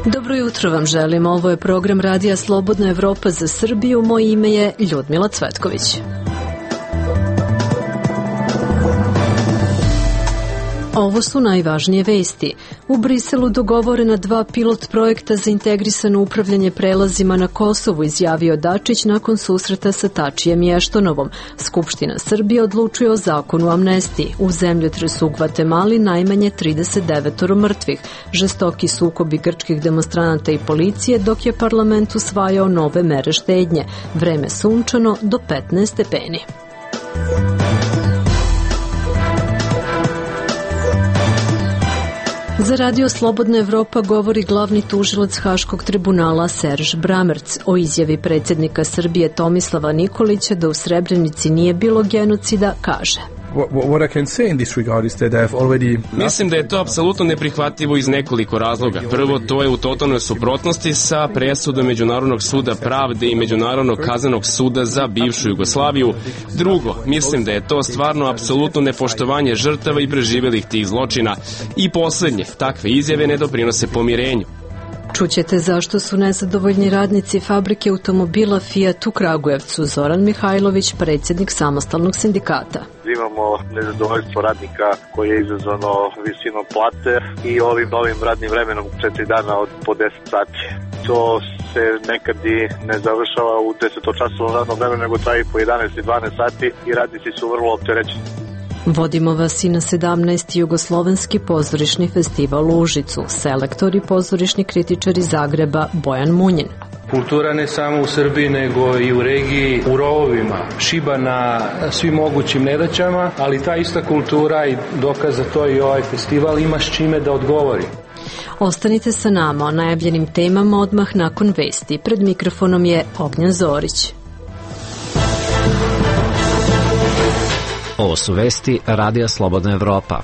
Dobro jutro vam želim. Ovo je program Radija Slobodna Evropa za Srbiju. Moje ime je Ljudmila Cvetković. Ovo su najvažnije vesti. U Briselu dogovorena 2 pilot projekta za integrisano upravljanje prelazima na Kosovu, izjavio Dačić nakon susreta sa Tačijem i Eštonovom. Skupština Srbije odlučuje o zakonu o amnestiji. U zemljotresu u Gvatemali najmanje 39 mrtvih. Žestoki sukobi grčkih demonstranata i policije, dok je parlament usvajao nove mere štednje. Vreme sunčano do 15 stepeni. Za Radio Slobodna Evropa govori glavni tužilac Haškog tribunala Serž Bramerc o izjavi predsjednika Srbije Tomislava Nikolića da u Srebrenici nije bilo genocida, kaže. Mislim da je to apsolutno neprihvatljivo iz nekoliko razloga. Prvo, to je u totalnoj suprotnosti sa presudom Međunarodnog suda pravde i Međunarodnog kaznenog suda za bivšu Jugoslaviju. Drugo, mislim da je to stvarno apsolutno nepoštovanje žrtava i preživelih tih zločina. I poslednje, takve izjave ne doprinose pomirenju. Čućete zašto su nezadovoljni radnici fabrike automobila Fiat u Kragujevcu. Zoran Mihajlović, predsjednik samostalnog sindikata. Imamo nezadovoljstvo radnika koje je izazvano visinom plate i ovim novim radnim vremenom 4 dana od po 10 sati. To se nekad i ne završava u 10-časovnom radnom vremenu, nego traje po 11 i 12 sati i radnici su vrlo opterećeni. Vodimo vas i na 17. Jugoslovenski pozorišni festival u Užicu. Selektor i pozorišni kritičar iz Zagreba Bojan Munjin. Kultura ne samo u Srbiji, nego i u regiji, u rovovima, šiba na svim mogućim nedaćama, ali ta ista kultura i dokaz za to i ovaj festival ima s čime da odgovori. Ostanite sa nama o najavljenim temama odmah nakon vesti. Pred mikrofonom je Ognjen Zorić. Ovo su vesti Radija Slobodna Evropa.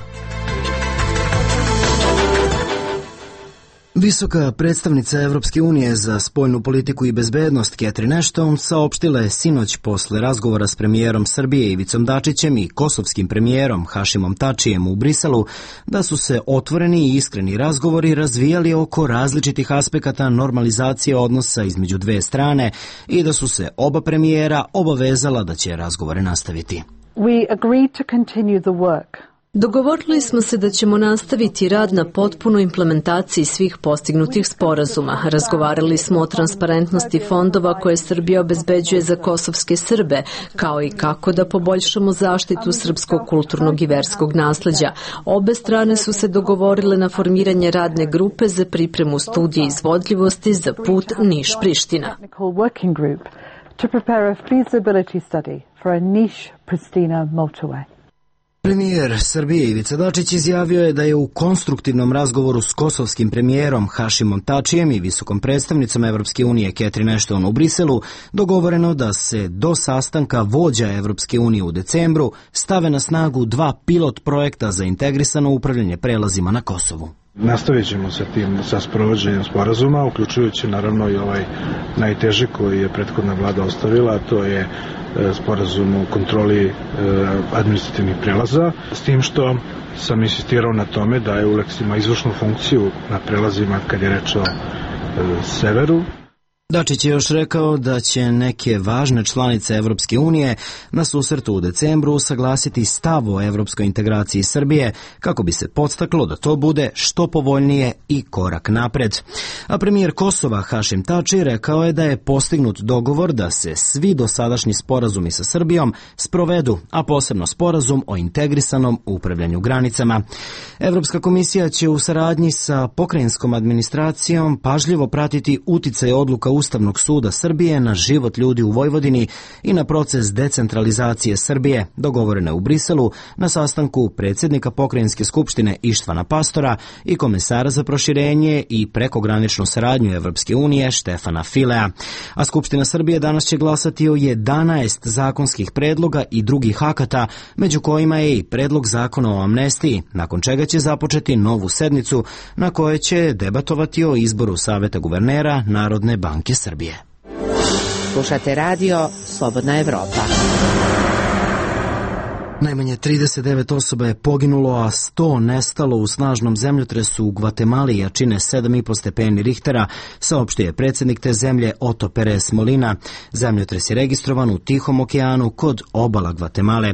Visoka predstavnica Evropske unije za spoljnu politiku i bezbednost Catherine Ashton saopštila je sinoć posle razgovora s premijerom Srbije Ivicom Dačićem i kosovskim premijerom Hašimom Tačijem u Briselu da su se otvoreni i iskreni razgovori razvijali oko različitih aspekata normalizacije odnosa između dve strane i da su se oba premijera obavezala da će razgovore nastaviti. We agreed to continue the work. Dogovorili smo se da ćemo nastaviti rad na potpunoj implementaciji svih postignutih sporazuma. Razgovarali smo o transparentnosti fondova koje Srbija obezbeđuje za kosovske Srbe, kao i kako da poboljšamo zaštitu srpskog kulturnog i verskog nasleđa. Obe strane su se dogovorile na formiranje radne grupe za pripremu studije izvodljivosti za put Niš-Priština. Premijer Srbije Ivica Dačić izjavio je da je u konstruktivnom razgovoru s kosovskim premijerom Hašimom Tačijem i visokom predstavnicom Evropske unije Catherine Ashton u Briselu dogovoreno da se do sastanka vođa Evropske unije u decembru stave na snagu 2 pilot projekta za integrisano upravljanje prelazima na Kosovu. Nastavit ćemo sa sprovođenjem sporazuma, uključujući naravno i ovaj najteži koji je prethodna vlada ostavila, a to je sporazum o kontroli administrativnih prelaza, s tim što sam insistirao na tome da EULEX ima izvršnu funkciju na prelazima kad je reč o severu. Dačić je još rekao da će neke važne članice Evropske unije na susretu u decembru usaglasiti stav o evropskoj integraciji Srbije kako bi se podstaklo da to bude što povoljnije i korak napred. A premijer Kosova Hašim Tači rekao je da je postignut dogovor da se svi dosadašnji sporazumi sa Srbijom sprovedu, a posebno sporazum o integrisanom upravljanju granicama. Evropska komisija će u saradnji sa pokrajinskom administracijom pažljivo pratiti uticaj odluka Ustavnog suda Srbije na život ljudi u Vojvodini i na proces decentralizacije Srbije, dogovorene u Briselu na sastanku predsjednika pokrajinske skupštine Ištvana Pastora i komesara za proširenje i prekograničnu saradnju Evropske unije Štefana Filea. A Skupština Srbije danas će glasati o 11 zakonskih predloga i drugih akata, među kojima je i predlog zakona o amnestiji, nakon čega će započeti novu sednicu na kojoj će debatovati o izboru Saveta guvernera Narodne banke Srbije. Slušate radio Slobodna Evropa. Najmanje 39 osoba je poginulo, a 100 nestalo u snažnom zemljotresu u Gvatemali jačine 7,5 stepeni Richtera, saopštio je predsjednik te zemlje Otto Perez Molina. Zemljotres je registrovan u Tihom okeanu kod obala Gvatemale.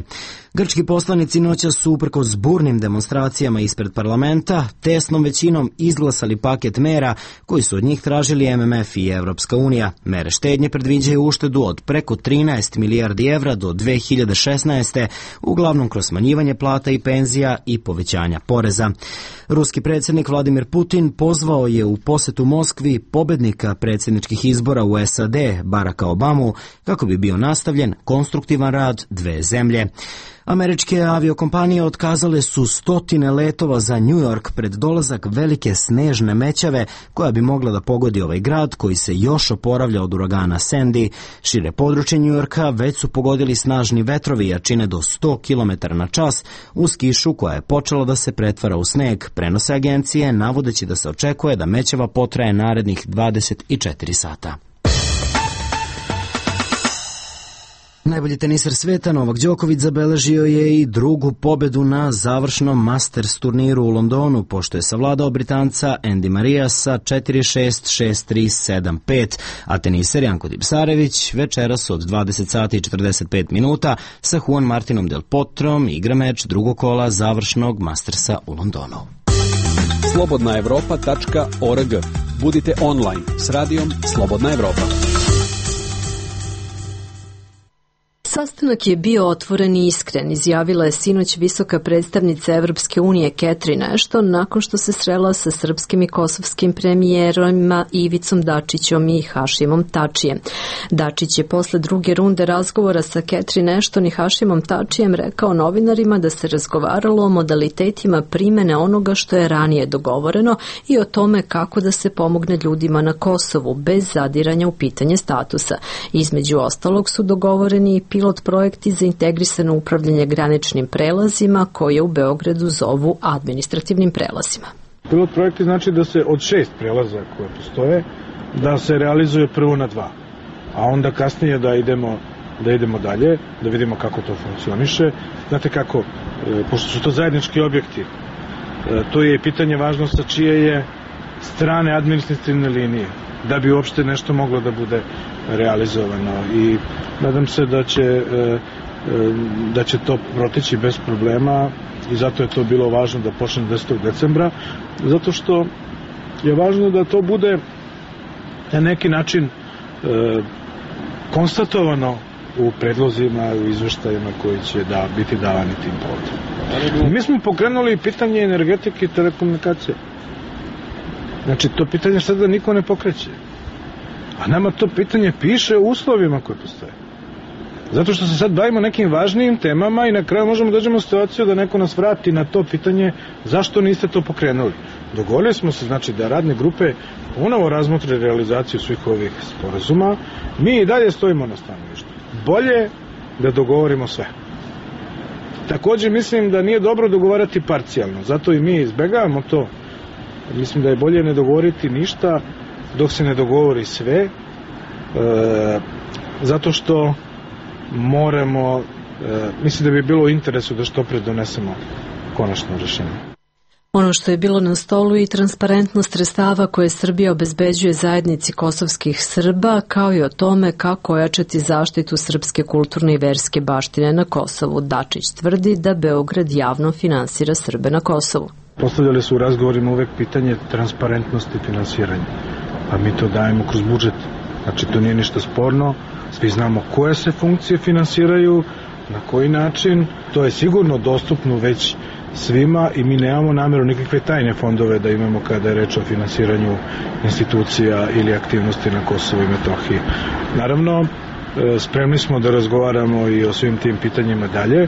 Grčki poslanici noćas su uprkos burnim demonstracijama ispred parlamenta tesnom većinom izglasali paket mera koji su od njih tražili MMF i Evropska unija. Mere štednje predviđaju uštedu od preko 13 milijardi evra do 2016. uglavnom kroz smanjivanje plata i penzija i povećanja poreza. Ruski predsjednik Vladimir Putin pozvao je u posetu Moskvi pobednika predsjedničkih izbora u SAD Baracka Obamu kako bi bio nastavljen konstruktivan rad dve zemlje. Američke aviokompanije otkazale su stotine letova za New York pred dolazak velike snežne mećave koja bi mogla da pogodi ovaj grad koji se još oporavlja od uragana Sandy. Šire područje New Yorka već su pogodili snažni vetrovi jačine do 100 km na čas uz kišu koja je počela da se pretvara u sneg, prenose agencije navodeći da se očekuje da mećava potraje narednih 24 sata. Najbolji teniser sveta Novak Đoković zabeležio je i drugu pobedu na završnom Masters turniru u Londonu, pošto je savladao Britanca Andy Maria sa 4-6, 6-3, 7-5, a teniser Janko Tipsarević večeras od 20 sati i 45 minuta sa Juan Martinom Del Potrom igra meč drugog kola završnog Mastersa u Londonu. Slobodnaevropa.org. Budite online s radijom Slobodna Evropa. Sastanak je bio otvoren i iskren, izjavila je sinoć visoka predstavnica Evropske unije Catherine Ashton nakon što se srela sa srpskim i kosovskim premijerima Ivicom Dačićom i Hašimom Tačijem. Dačić je posle druge runde razgovora sa Catherine Ashton i Hašimom Tačijem rekao novinarima da se razgovaralo o modalitetima primene onoga što je ranije dogovoreno i o tome kako da se pomogne ljudima na Kosovu bez zadiranja u pitanje statusa. Između ostalog su dogovoreni i pilot projekti za integrisano upravljanje graničnim prelazima koje u Beogradu zovu administrativnim prelazima. Pilot projekti znači da se od 6 prelaza koje postoje, da se realizuje prvo na 2, a onda kasnije da idemo dalje, da vidimo kako to funkcioniše. Znate kako, pošto su to zajednički objekti, to je pitanje važno sa čije je strane administrativne linije, da bi uopšte nešto moglo da bude realizovano, i nadam se da će to proteći bez problema, i zato je to bilo važno da počne 10. decembra, zato što je važno da to bude na neki način konstatovano u predlozima, u izveštajima koji će biti davani tim povodom. Mi smo pokrenuli pitanje energetike i telekomunikacije. Znači, to pitanje sada niko ne pokreće. A nama to pitanje piše u uslovima koje postoje. Zato što se sad bavimo nekim važnijim temama i na kraju možemo dođemo u situaciju da neko nas vrati na to pitanje zašto niste to pokrenuli. Dogovorili smo se, znači, da radne grupe ponovo razmotre realizaciju svih ovih sporazuma. Mi i dalje stojimo na stanovištu. Bolje da dogovorimo sve. Takođe mislim da nije dobro dogovarati parcijalno, zato i mi izbegavamo to. Mislim da je bolje ne dogovoriti ništa dok se ne dogovori sve, zato što moramo, mislim da bi bilo u interesu da što pre donesemo konačno rešenje. Ono što je bilo na stolu i transparentnost sredstava koje Srbija obezbeđuje zajednici kosovskih Srba, kao i o tome kako ojačati zaštitu srpske kulturne i verske baštine na Kosovu. Dačić tvrdi da Beograd javno finansira Srbe na Kosovu. Postavljali su u razgovorima uvek pitanje transparentnosti finansiranja, a mi to dajemo kroz budžet. Znači, to nije ništa sporno, svi znamo koje se funkcije finansiraju, na koji način, to je sigurno dostupno već svima i mi nemamo nameru nikakve tajne fondove da imamo kada je reč o finansiranju institucija ili aktivnosti na Kosovu i Metohiji. Naravno, spremni smo da razgovaramo i o svim tim pitanjima dalje,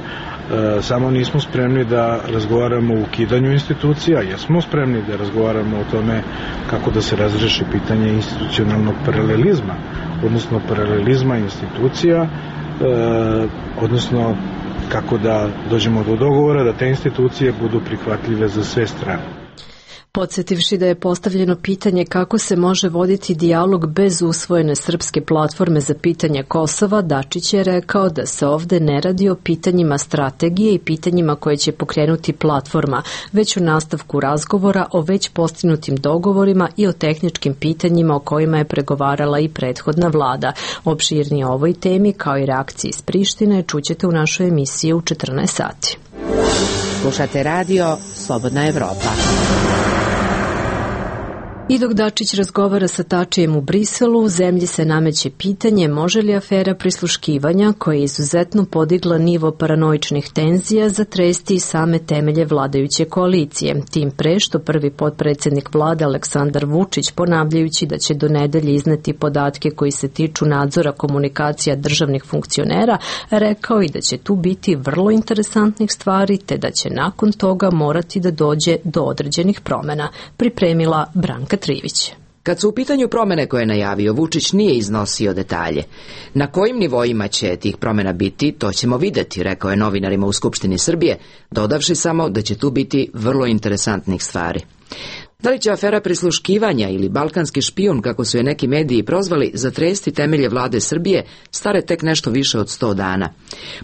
samo nismo spremni da razgovaramo o ukidanju institucija, jesmo spremni da razgovaramo o tome kako da se razreši pitanje institucionalnog paralelizma, odnosno paralelizma institucija, odnosno kako da dođemo do dogovora da te institucije budu prihvatljive za sve strane. Podsjetivši da je postavljeno pitanje kako se može voditi dijalog bez usvojene srpske platforme za pitanje Kosova, Dačić je rekao da se ovde ne radi o pitanjima strategije i pitanjima koje će pokrenuti platforma, već u nastavku razgovora o već postignutim dogovorima i o tehničkim pitanjima o kojima je pregovarala i prethodna vlada. Opširnije o ovoj temi kao i reakcije iz Prištine čućete u našoj emisiji u 14 sati. Slušate radio Slobodna Evropa. I dok Dačić razgovara sa Tačijem u Briselu, u zemlji se nameće pitanje može li afera prisluškivanja, koja je izuzetno podigla nivo paranoičnih tenzija, zatresti same temelje vladajuće koalicije. Tim pre što prvi potpredsednik vlade Aleksandar Vučić, ponavljajući da će do nedelje izneti podatke koji se tiču nadzora komunikacija državnih funkcionera, rekao i da će tu biti vrlo interesantnih stvari, te da će nakon toga morati da dođe do određenih promena. Pripremila Branka Trivić. Kad su u pitanju promene koje je najavio, Vučić nije iznosio detalje. Na kojim nivoima će tih promena biti, to ćemo videti, rekao je novinarima u Skupštini Srbije, dodavši samo da će tu biti vrlo interesantnih stvari. Da li će afera prisluškivanja ili balkanski špijun, kako su je neki mediji prozvali, zatresti temelje vlade Srbije, stare tek nešto više od 100 dana?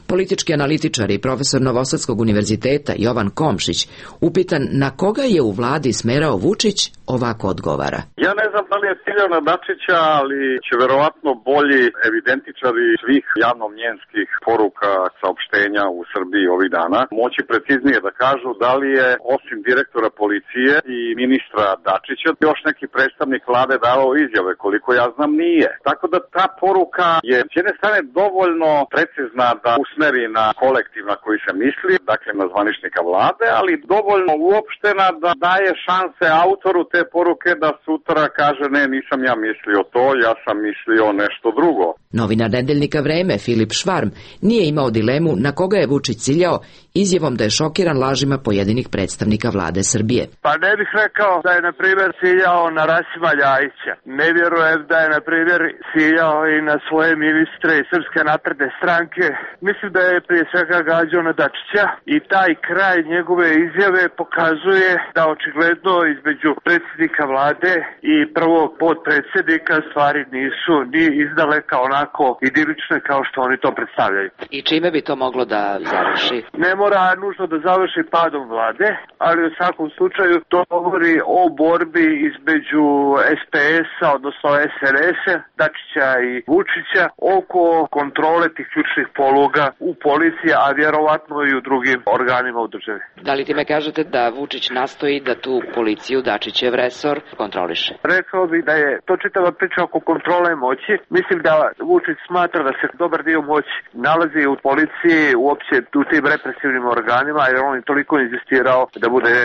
Politički analitičar i profesor Novosadskog univerziteta Jovan Komšić, upitan na koga je u vladi smerao Vučić, ovako odgovara. Ja ne znam da li je ciljao na Dačića, ali će verovatno bolji evidentičari svih javnomnjenskih poruka, saopštenja u Srbiji ovih dana moći preciznije da kažu da li je osim direktora policije i ministra Dačića još neki predstavnik vlade davao izjave, koliko ja znam nije. Tako da ta poruka je s jedne strane dovoljno precizna da usmeri na kolektiv na koji se misli, dakle na zvaničnika vlade, ali dovoljno uopštena da daje šanse autoru te poruke da sutra kaže ne, nisam ja mislio to, ja sam mislio nešto drugo. Novinar nedeljnika Vreme Filip Švarm nije imao dilemu na koga je Vučić ciljao izjavom da je šokiran lažima pojedinih predstavnika vlade Srbije. Pa ne bih rekao da je na primjer ciljao na Rasima Ljajića. Ne vjerujem da je na primjer ciljao i na svoje ministre iz Srpske napredne stranke. Mislim da je prije svega gađao na Dačića i taj kraj njegove izjave pokazuje da očigledno između predsjednika vlade i prvog potpredsjednika stvari nisu ni izdaleka onako idilične kao što oni to predstavljaju. I čime bi to moglo da završi? Ne mora nužno da završi padom vlade, ali u svakom slučaju to govori o borbi između SPS-a, odnosno SNS-a, Dačića i Vučića, oko kontrole tih ključnih poluga u policiji, a vjerovatno i u drugim organima u državi. Da li ti me kažete da Vučić nastoji da tu policiju, Dačićev resor, kontroliše? Rekao bih da je to čitava priča oko kontrole moći. Mislim da Vučić smatra da se dobar dio moći nalazi u policiji, uopće u tim represivnim organima, jer on je toliko insistirao da bude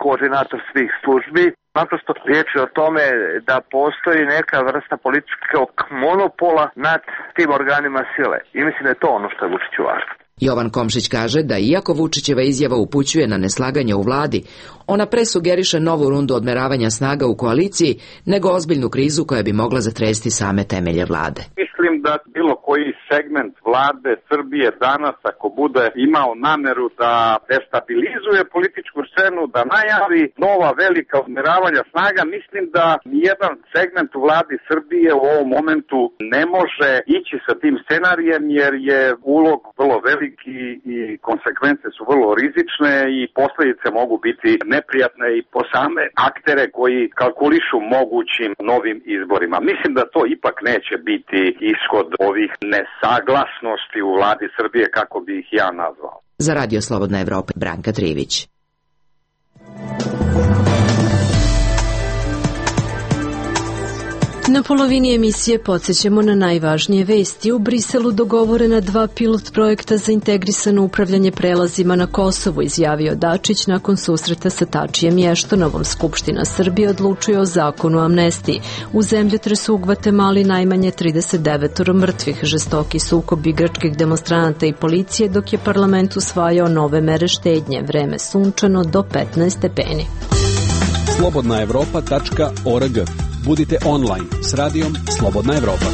koordinator svih službi. Naprosto riječ je o tome da postoji neka vrsta političkog monopola nad tim organima sile. I mislim da je to ono što je Vučiću važno. Jovan Komšić kaže da iako Vučićeva izjava upućuje na neslaganje u vladi, ona presugeriše novu rundu odmeravanja snaga u koaliciji nego ozbiljnu krizu koja bi mogla zatresti same temelje vlade. Mislim da bilo koji segment vlade Srbije danas, ako bude imao nameru da destabilizuje političku scenu, da najavi nova velika odmeravanja snaga, mislim da nijedan segment u vladi Srbije u ovom momentu ne može ići sa tim scenarijem, jer je ulog vrlo veliki i konsekvence su vrlo rizične i posljedice mogu biti neprijatne i po same aktere koji kalkulišu mogućim novim izborima. Mislim da to ipak neće biti ishod ovih nesaglasnosti u vladi Srbije, kako bi ih ja nazvao. Za Radio Slobodna Evropa, Branka Trivić. Na polovini emisije podsjećamo na najvažnije vesti. U Briselu dogovorena 2 pilot projekta za integrisano upravljanje prelazima na Kosovu, izjavio Dačić nakon susreta sa Tačijem i Eštonovom. Skupština Srbije odlučuje o zakonu o amnestiji. U zemljotresu u Gvatemali najmanje 39 mrtvih, žestoki sukob igračkih demonstranata i policije, dok je parlament usvajao nove mere štednje. Vreme sunčano do 15 stepeni. slobodnaevropa.org. Budite online s radijom Slobodna Evropa.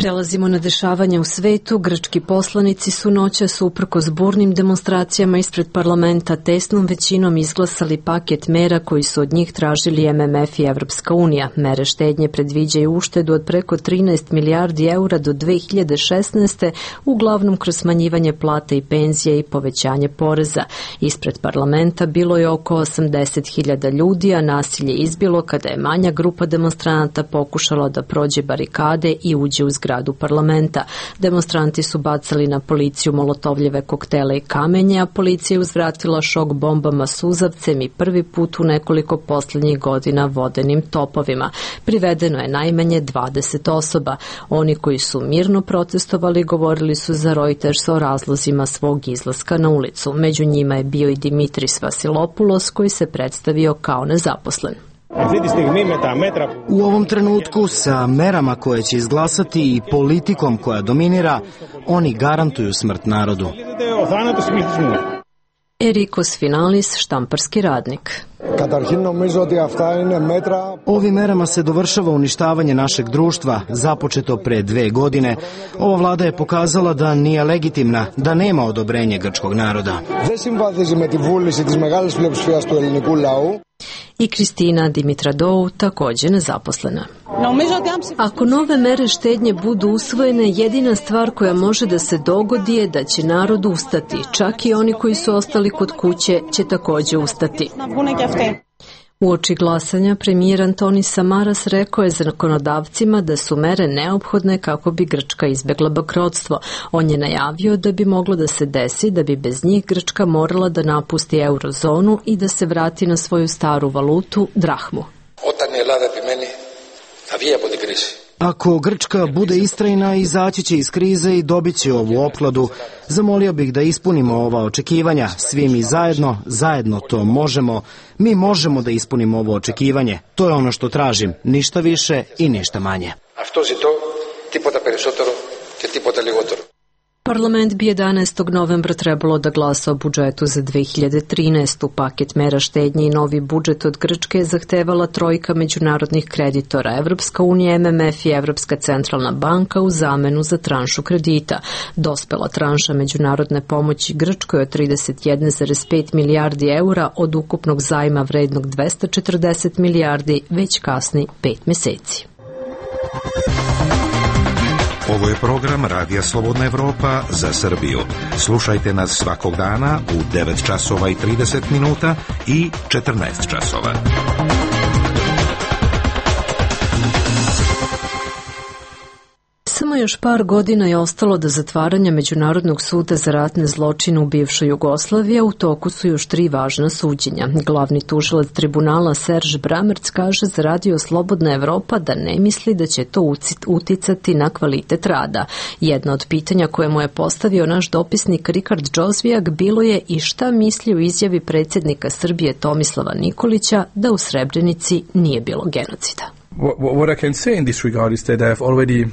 Prelazimo na dešavanja u svetu. Grčki poslanici su noćas uprkos burnim demonstracijama ispred parlamenta tesnom većinom izglasali paket mera koji su od njih tražili MMF i Evropska unija. Mere štednje predviđaju uštedu od preko 13 milijardi eura do 2016. uglavnom kroz smanjivanje plata i penzije i povećanje poreza. Ispred parlamenta bilo je oko 80.000 ljudi, a nasilje izbilo kada je manja grupa demonstranata pokušala da prođe barikade i uđe u zgradu parlamenta. Demonstranti su bacali na policiju molotovljeve koktele i kamenje, a policija je uzvratila šok bombama suzavcem i prvi put u nekoliko posljednjih godina vodenim topovima. Privedeno je najmanje 20 osoba. Oni koji su mirno protestovali govorili su za Reuters o razlozima svog izlaska na ulicu. Među njima je bio i Dimitris Vasilopoulos koji se predstavio kao nezaposlen. U ovom trenutku sa merama koje će izglasati i politikom koja dominira, oni garantuju smrt narodu. Erikos Finalis, štamparski radnik. Ovim merama se dovršava uništavanje našeg društva, započeto pre 2 godine. Ova vlada je pokazala da nije legitimna, da nema odobrenje grčkog naroda. I Kristina Dimitradou, također nezaposlena. Ako nove mere štednje budu usvojene, jedina stvar koja može da se dogodi je da će narod ustati. Čak i oni koji su ostali kod kuće će također ustati. Uoči glasanja premijer Antonis Samaras rekao je zakonodavcima da su mere neophodne kako bi Grčka izbjegla bankrotstvo. On je najavio da bi moglo da se desi da bi bez njih Grčka morala da napusti eurozonu i da se vrati na svoju staru valutu, drahmu. Ako Grčka bude istrajna, izaći će iz krize i dobit će ovu opkladu. Zamolio bih da ispunimo ova očekivanja. Svi mi zajedno to možemo. Mi možemo da ispunimo ovo očekivanje. To je ono što tražim. Ništa više i ništa manje. Parlament bi 11. novembra trebalo da glasa o budžetu za 2013. Paket mera štednje i novi budžet od Grčke je zahtevala trojka međunarodnih kreditora, Evropska unija, MMF i Evropska centralna banka u zamenu za tranšu kredita. Dospela tranša međunarodne pomoći Grčkoj od 31,5 milijardi eura od ukupnog zajma vrednog 240 milijardi već kasni 5 meseci. Ovo je program Radija Slobodna Evropa za Srbiju. Slušajte nas svakog dana u 9 časova i 30 minuta i 14 časova. Samo još par godina je ostalo do zatvaranja Međunarodnog suda za ratne zločine u bivšoj Jugoslaviji, a u toku su još 3 važna suđenja. Glavni tužilac tribunala Serž Bramerc kaže za Radio Slobodna Evropa da ne misli da će to uticati na kvalitet rada. Jedno od pitanja koje mu je postavio naš dopisnik Rikard Džozvijak bilo je i šta misli o izjavi predsjednika Srbije Tomislava Nikolića da u Srebrenici nije bilo genocida. What I can say in this regard is that I have already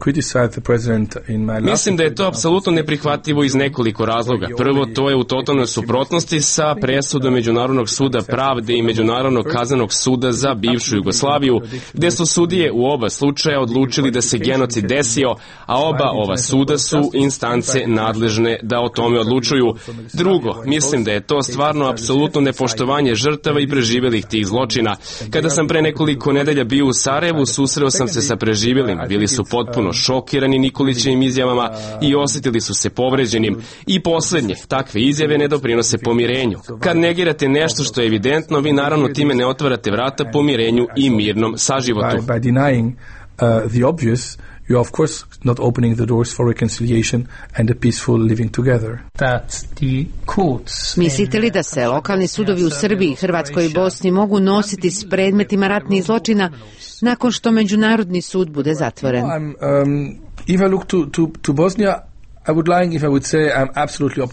criticized the president in my last... Mislim da je to apsolutno neprihvatljivo iz nekoliko razloga. Prvo, to je u totalnoj suprotnosti sa presudom Međunarodnog suda pravde i Međunarodnog kaznenog suda za bivšu Jugoslaviju, gde su sudije u oba slučaja odlučili da se genocid desio, a oba ova suda su instance nadležne da o tome odlučuju. Drugo, mislim da je to stvarno apsolutno nepoštovanje žrtava i preživjelih tih zločina. Kada sam pre nekoliko nedelja bio u Sarajevu, susreo sam se sa preživjelim. Bili su potpuno šokirani Nikolićevim izjavama i osjetili su se povređenim. I posljednje, takve izjave ne doprinose pomirenju. Kad negirate nešto što je evidentno, vi naravno time ne otvarate vrata pomirenju i mirnom saživotu. By denying the obvious, you are of course not opening the doors for reconciliation and a peaceful living together. Mislite li da se lokalni sudovi u Srbiji, Hrvatskoj i Bosni mogu nositi s predmetima ratnih zločina nakon što Međunarodni sud bude zatvoren? If I look to Bosnia,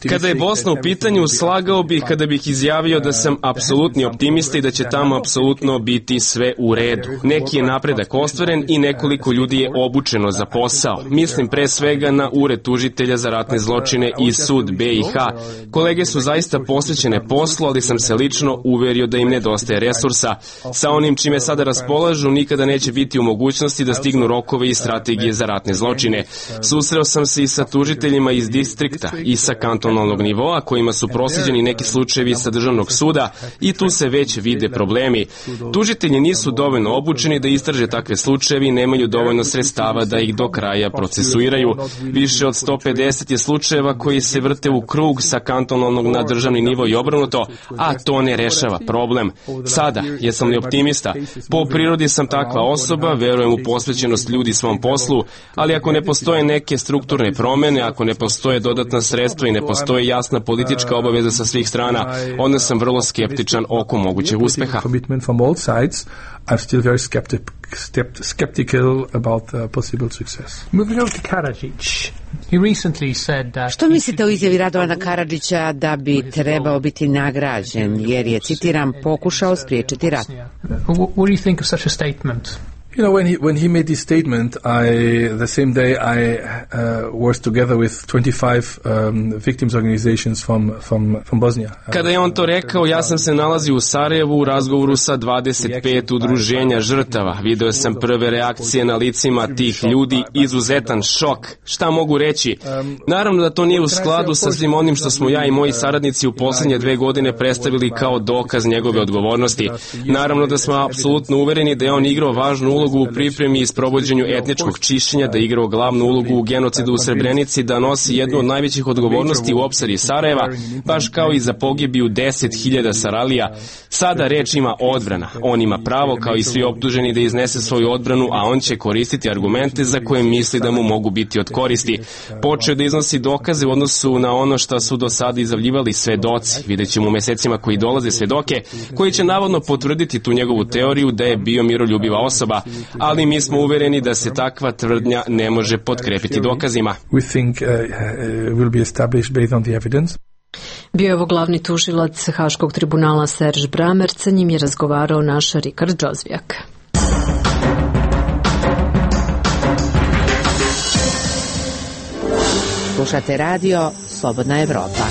Kada je Bosna u pitanju, slagao bih kada bih izjavio da sam apsolutni optimista i da će tamo apsolutno biti sve u redu. Neki je napredak ostvaren i nekoliko ljudi je obučeno za posao. Mislim pre svega na Ured tužitelja za ratne zločine i sud BiH. Kolege su zaista posvećene poslu, ali sam se lično uverio da im nedostaje resursa. Sa onim čime sada raspolažu, nikada neće biti u mogućnosti da stignu rokove i strategije za ratne zločine. Susreo sam se i sa tužiteljima iz distrikta i sa kantonalnog nivoa, kojima su proslijeđeni neki slučajevi sa državnog suda i tu se već vide problemi. Tužitelji nisu dovoljno obučeni da istraže takve slučajevi i nemaju dovoljno sredstava da ih do kraja procesuiraju. Više od 150 je slučajeva koji se vrte u krug sa kantonalnog na državni nivo i obrnuto, a to ne rešava problem. Sada, jesam li optimista? Po prirodi sam takva osoba, verujem u posvećenost ljudi svom poslu, ali ako ne postoje neke strukturne promene, ako ne postoje dodatna sredstva i ne postoji jasna politička obaveza sa svih strana, onda sam vrlo skeptičan oko mogućeg uspeha. I'm still very skeptical about possible success. Moving on to Karadzic. He recently said that... Što mislite o izjavi Radovana Karadžića da bi trebao biti nagrađen, jer je, citiram, pokušao spriječiti rat? What do you think of such a statement? You know, when he made this statement, the same day I was together with 25 victims organizations from Bosnia. Kada je on to rekao, ja sam se nalazio u Sarajevu u razgovoru sa 25 udruženja žrtava. Video sam prve reakcije na licima tih ljudi, izuzetan šok. Šta mogu reći? Naravno da to nije u skladu sa svim onim što smo ja i moji saradnici u posljednje 2 godine predstavili kao dokaz njegove odgovornosti. Naravno da smo apsolutno uvereni da je on igrao važnu ulogu u pripremi i sprovođenju etničkog čišćenja, da je igrao glavnu ulogu u genocidu u Srebrenici, da nosi jednu od najvećih odgovornosti u opsadi Sarajeva, baš kao i za pogibiju 10.000 Saralija. Sada reč ima odbrana. On ima pravo, kao i svi optuženi, da iznese svoju odbranu, a on će koristiti argumente za koje misli da mu mogu biti od koristi. Počeo da iznosi dokaze u odnosu na ono što su do sada izjavljivali svedoci. Vidjet ćemo u mesecima koji dolaze svedoke, koji će navodno potvrditi tu njegovu teoriju da je bio miroljubiva osoba, ali mi smo uvereni da se takva tvrdnja ne može potkrepiti dokazima. Bio je ovo glavni tužilac Haškog tribunala Serž Bramer, sa njim je razgovarao naš Rikard Džozvijak. Slušate radio Slobodna Evropa.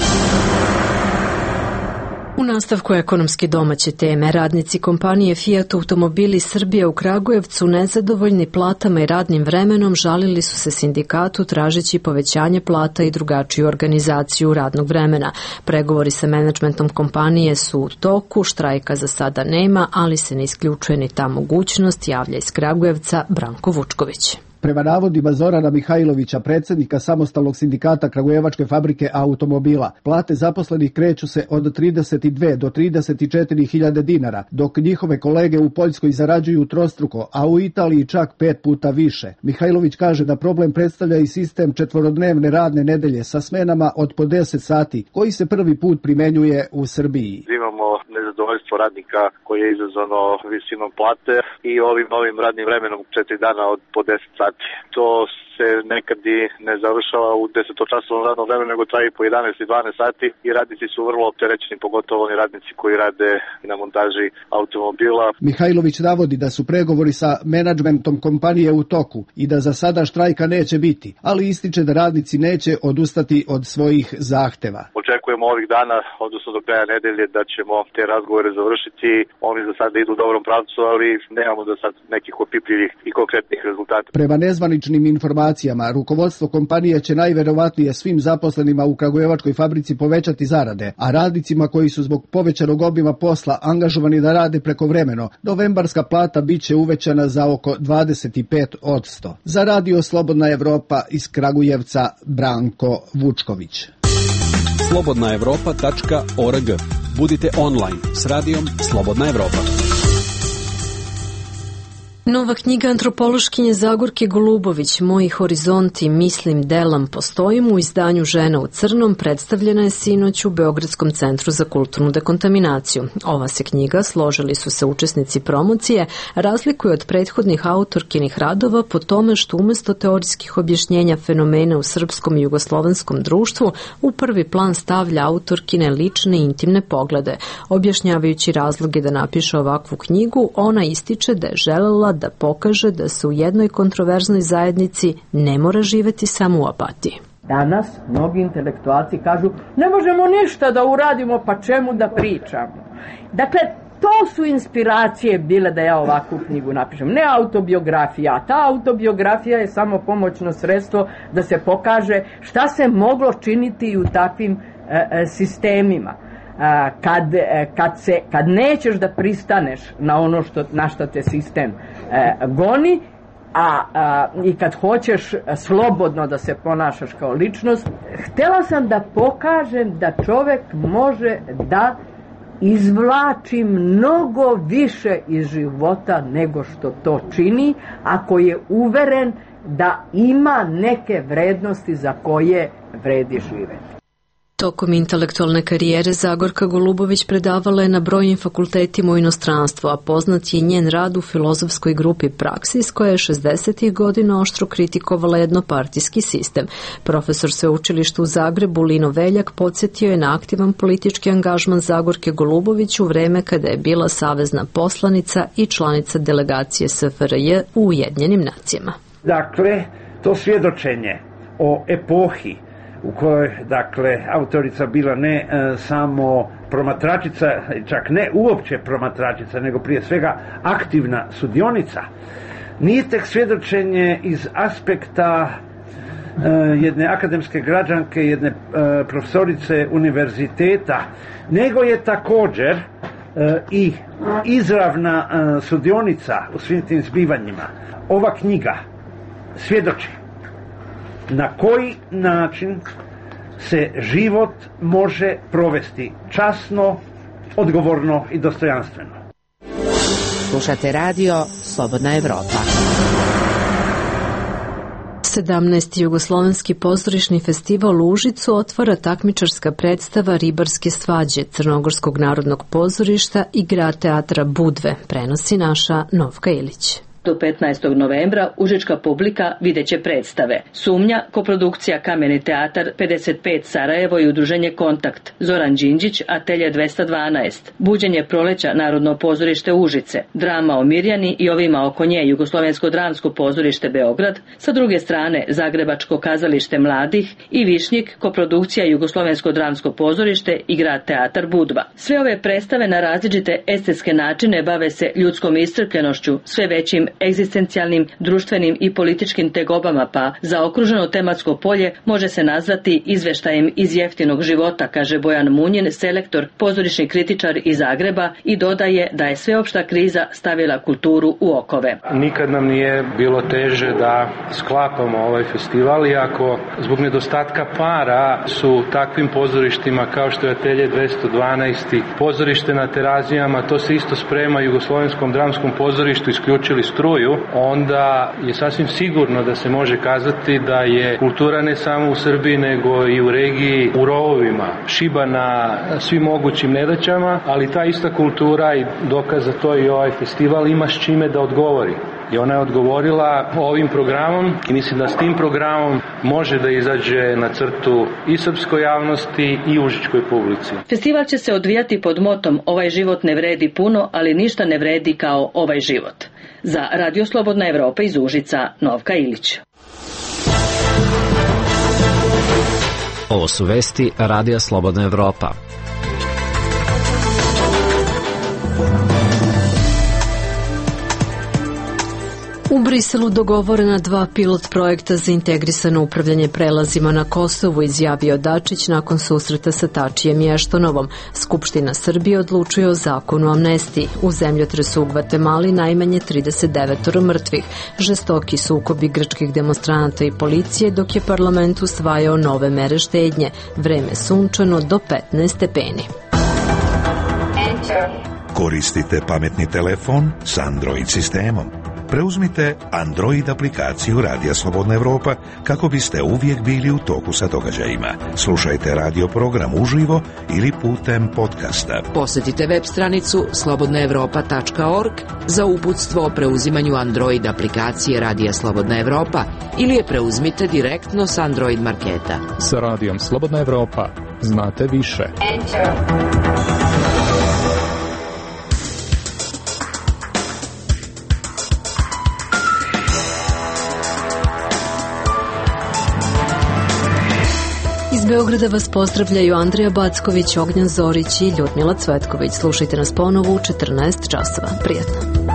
U nastavku ekonomske domaće teme, radnici kompanije Fiat Automobili Srbija u Kragujevcu, nezadovoljni platama i radnim vremenom, žalili su se sindikatu tražeći povećanje plata i drugačiju organizaciju radnog vremena. Pregovori sa menadžmentom kompanije su u toku, štrajka za sada nema, ali se ne isključuje ni ta mogućnost, javlja iz Kragujevca Branko Vučković. Prema navodima Zorana Mihajlovića, predsjednika samostalnog sindikata Kragujevačke fabrike automobila, plate zaposlenih kreću se od 32 do 34 hiljade dinara, dok njihove kolege u Poljskoj zarađuju trostruko, a u Italiji čak 5 puta više. Mihajlović kaže da problem predstavlja i sistem četvorodnevne radne nedelje sa smenama od po 10 sati, koji se prvi put primenjuje u Srbiji. Imamo nezadovoljstvo radnika koje je izazvano visinom plate i ovim novim radnim vremenom 4 dana od po 10 sati. To se nekad i ne završava u 10-časovnom radnom vremenu, nego traje po 11 i 12 sati i radnici su vrlo opterećeni, pogotovo oni radnici koji rade na montaži automobila. Mihajlović navodi da su pregovori sa menadžmentom kompanije u toku i da za sada štrajka neće biti, ali ističe da radnici neće odustati od svojih zahteva. Očekujemo ovih dana, odnosno do kraja nedelje, da ćemo te razgovore završiti. Oni za sada idu u dobrom pravcu, ali nemamo do sad nekih opipljivih i konkretnih rezultata. Prema nezvaničnim informacijama, rukovodstvo kompanije će najverovatnije svim zaposlenima u Kragujevačkoj fabrici povećati zarade, a radnicima koji su zbog povećanog obima posla angažovani da rade prekovremeno, novembarska plata biće uvećana za oko 25%. Za radio Slobodna Evropa iz Kragujevca Branko Vučković. Nova knjiga antropološkinje Zagorke Golubović, Moji horizonti, mislim, delam, postojim, u izdanju Žena u crnom, predstavljena je sinoć u Beogradskom centru za kulturnu dekontaminaciju. Ova se knjiga, složili su se učesnici promocije, razlikuje od prethodnih autorkinih radova po tome što umesto teorijskih objašnjenja fenomena u srpskom i jugoslovenskom društvu u prvi plan stavlja autorkine lične i intimne poglede. Objašnjavajući razloge da napiše ovakvu knjigu, ona ističe da je želela da pokaže da se u jednoj kontroverznoj zajednici ne mora živeti samo u apatiji. Danas mnogi intelektualci kažu ne možemo ništa da uradimo, pa čemu da pričamo. Dakle, to su inspiracije bile da ja ovakvu knjigu napišem. Ne autobiografija. Ta autobiografija je samo pomoćno sredstvo da se pokaže šta se moglo činiti u takvim sistemima. Kad nećeš da pristaneš na ono na što te sistem goni, i kad hoćeš slobodno da se ponašaš kao ličnost, htjela sam da pokažem da čovjek može da izvlači mnogo više iz života nego što to čini, ako je uveren da ima neke vrednosti za koje vredi živeti. Tokom intelektualne karijere Zagorka Golubović predavala je na brojnim fakultetima u inostranstvu, a poznat je njen rad u filozofskoj grupi Praksis, koja je 60. godina oštro kritikovala jednopartijski sistem. Profesor sveučilišta u Zagrebu Lino Veljak podsjetio je na aktivan politički angažman Zagorke Golubović u vreme kada je bila savezna poslanica i članica delegacije SFRJ u Ujedinjenim nacijama. Dakle, to svjedočenje o epohi u kojoj, dakle, autorica bila ne samo promatračica, čak ne uopće promatračica, nego prije svega aktivna sudionica, nije tek svjedočenje iz aspekta jedne akademske građanke, jedne profesorice univerziteta, nego je također i izravna sudionica u svim tim zbivanjima. Ova knjiga svjedoči na koji način se život može provesti časno, odgovorno i dostojanstveno. Slušate radio Slobodna Evropa. 17. Jugoslovenski pozorišni festival u Užicu otvara takmičarska predstava Ribarske svađe Crnogorskog narodnog pozorišta i Grad teatra Budve, prenosi naša Novka Ilić. Do 15. novembra užička publika videće predstave Sumnja, koprodukcija Kameni teatar 55 Sarajevo i udruženje Kontakt, Zoran Đinđić, Atelje 212, Buđenje proleća Narodno pozorište Užice, drama o Mirjani i ovima oko nje Jugoslovensko dramsko pozorište Beograd, sa druge strane Zagrebačko kazalište mladih i Višnjik, koprodukcija Jugoslovensko dramsko pozorište i Grad teatar Budva. Sve ove predstave na različite estetske načine bave se ljudskom iscrpljenošću, sve većim egzistencijalnim, društvenim i političkim tegobama, pa zaokruženo tematsko polje može se nazvati izveštajem iz jeftinog života, kaže Bojan Munjin, selektor, pozorišni kritičar iz Zagreba, i dodaje da je sveopšta kriza stavila kulturu u okove. Nikad nam nije bilo teže da sklapamo ovaj festival, iako zbog nedostatka para su takvim pozorištima kao što je Atelje 212 i pozorište na Terazijama, to se isto sprema Jugoslovenskom dramskom pozorištu, isključili struju, onda je sasvim sigurno da se može kazati da je kultura ne samo u Srbiji nego i u regiji u rovovima, šiba na svim mogućim nedaćama, ali ta ista kultura, i dokaz za to i ovaj festival, ima s čime da odgovori. I ona je odgovorila ovim programom i mislim da s tim programom može da izađe na crtu i srpskoj javnosti i užičkoj publici. Festival će se odvijati pod motom Ovaj život ne vredi puno, ali ništa ne vredi kao ovaj život. Za Radio Slobodna Evropa iz Užica, Novka Ilić. Ovo su vesti Radija Slobodna Evropa. U Briselu dogovorena 2 pilot projekta za integrisano upravljanje prelazima na Kosovu, izjavio Dačić nakon susreta sa Tačijem i Eštonovom. Skupština Srbije odlučuje o zakonu o amnestiji. U zemljotresu u Gvatemali najmanje 39 mrtvih. Žestoki sukobi grčkih demonstranata i policije, dok je parlament usvajao nove mere štednje. Vreme sunčano do 15 stepeni. Koristite pametni telefon s Android sistemom. Preuzmite Android aplikaciju Radija Slobodna Evropa kako biste uvijek bili u toku sa događajima. Slušajte radio program uživo ili putem podcasta. Posjetite web stranicu slobodnaevropa.org za uputstvo o preuzimanju Android aplikacije Radija Slobodna Evropa ili je preuzmite direktno s Android marketa. Sa Radijom Slobodna Evropa znate više. Iz Beograda vas pozdravljaju Andrija Backović, Ognjan Zorić i Ljudmila Cvetković. Slušajte nas ponovo u 14 časova. Prijetno.